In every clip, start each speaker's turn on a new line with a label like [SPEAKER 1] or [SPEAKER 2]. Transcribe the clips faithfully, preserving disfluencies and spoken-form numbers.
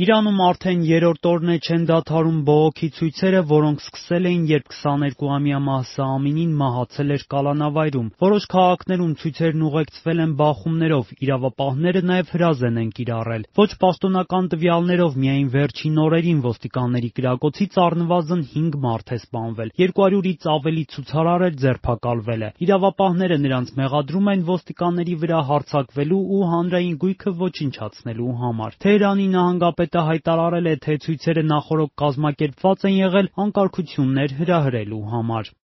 [SPEAKER 1] Իրանում արդեն երրորդ օրն է չեն դադարում բողոքի ցույցերը, որոնք սկսել էին, երբ քսաներկուամյա Մահսա Ամինին մահացել էր կալանավայրում։ Որոշ քաղաքներում ցույցերն ուղեկցվել են բախումներով, իրավապահները նաև հրազեն են կիրառել։ Ոչ պաշտոնական տվյալներով միայն վերջին օրերին ոստիկանների կրակոցից առնվազն հինգ մարդ է սպանվել, երկու հարյուրից ավելի ցուցարար էլ ձերբակալվել է։ Իրավապահները նրանց մեղադրում են ոստիկանների վրա հարձակվելու ու հանրային գույքը ոչնչացնելու համար։ Թեհրանի նահանգապետը հայտարարել է, թե ցույցերը նախօրոք կազմակերպված են եղել անկարգություններ հրահրելու համար։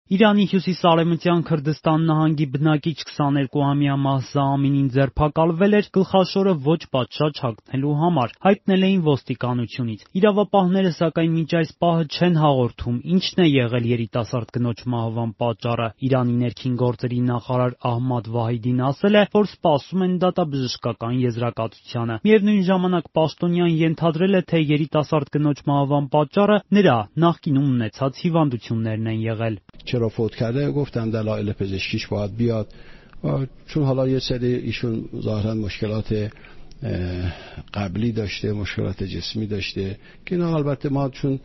[SPEAKER 1] Իրանի հյուսիս-արևմտյան Քրդստան նահանգի բնակիչ քսաներկուամյա Մահսա Ամինին ձերբակալվել էր գլխաշորը ոչ պատշաճ հագնելու համար, հայտնել էին ոստիկանությունից։ Իրավապահները սակայն մինչ այս պահը չեն հաղորդում, ինչն է եղել երիտասարդ կնոջ մահվան պատճառը։ Իրանի ներքին գործերի նախարար Ահմադ Վահիդին ասել է, որ սպասում են դատաբժշկական եզրակացությանը։ Միևնույն ժամանակ պաշտոնյան ենթադրել է, թե երիտասարդ կնոջ մահվան պատճառը նրա նախկինում ունեցած հիվանդություններն են եղել։
[SPEAKER 2] چرا فوت کرده گفتم دلایل پزشکیش باید بیاد چون حالا یه سری ایشون ظاهرا مشکلات قبلی داشته مشکلات جسمی داشته که اینا البته ما چون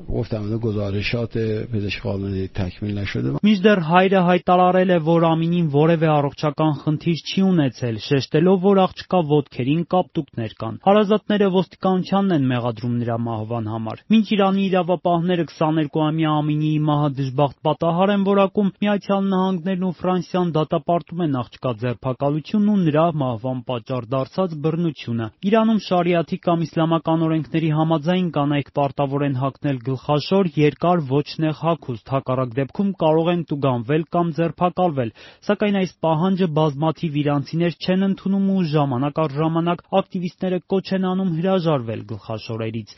[SPEAKER 2] گفتم اون گزارشات پزشک قانونی تکمیل نشده
[SPEAKER 1] Մինչդեռ հայրը հայտարարել է, որ Ամինին որևէ առողջական խնդիր չի ունեցել, շեշտելով, որ աղջկա ոտքերին կապտուկներ կան։ Հարազատները ոստիկանությանն են մեղադրում նրա մահվան համար։ Մինչ Իրանի իրավապահները քսաներկուամյա Ամինիի մահը դժբախտ պատահար են որակում, Միացյալ Նահանգներն ու Ֆրանսիան դատապարտում են աղջկա ձերբակալությունն ու նրա մահվան պատճառ դարձած բռնությունը։ Իրանում շարիաթի կամ իսլամական օրենքների համաձայն կանայք պարտավոր են հագնել գլխաշոր, երկար ոչ նեղ հագուստ, հակառակ դեպքում կարող են տուգանվել կամ ձերբակալվել, սակայն այս պահանջը բազմաթիվ իրանցիներ չեն ընդունում ու ժամանակ առ ժամանակ ակտիվիստները կոչ են անում հրաժարվել գլխաշորերից։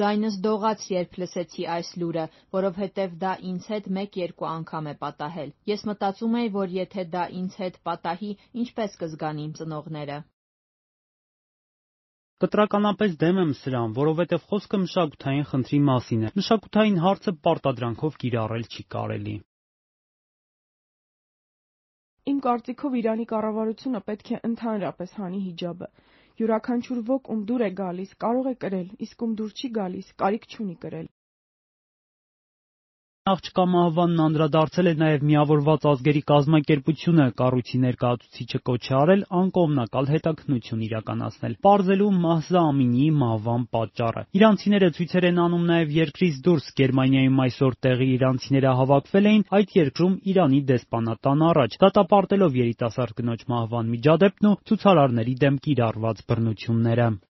[SPEAKER 3] Ձայնս դողաց, երբ լսեցի այս լուրը, որովհետև դա ինձ հետ մեկ-երկու անգամ է պատահել։ Ես մտածում էի, որ եթե դա ինձ հետ պատահի, ինչպես կզգան իմ ծնողները։
[SPEAKER 1] Կտրականապես դեմ եմ սրան, որովհետև խոսքը մշակութային խնդրի մասին է։ Մշակութային հարցը պարտադրանքով կիրառել չի կարելի։
[SPEAKER 4] Իմ կարծիքով Իրանի կառավարությունը պետք է ընդհանրապես հանի հիջաբը։ Յուրաքանչյուր ոք, ում դուր է գալիս, կարող է կրել, իսկ ում դուր չի գալիս, կարիք չունի կրել։
[SPEAKER 1] Աղջկա մահվանն անդրադարձել է նաև Միավորված ազգերի կազմակերպությունը, կառույցի ներկայացուցիչը կոչ է արել անկողմնակալ հետաքննություն իրականացնել, պարզելու Մահսա Ամինիի մահվան պատճառը։ Իրանցիները ցույցեր են անում նաև երկրից դուրս։ Գերմանիայում այսօր տեղի իրանցիները հավաքվել էին այդ երկրում Իրանի դեսպանատան առաջ, դատապարտելով երիտասարդ կնոջ մահվան միջադեպն ու ցուցարարների դեմ կիրառված բռնությունները։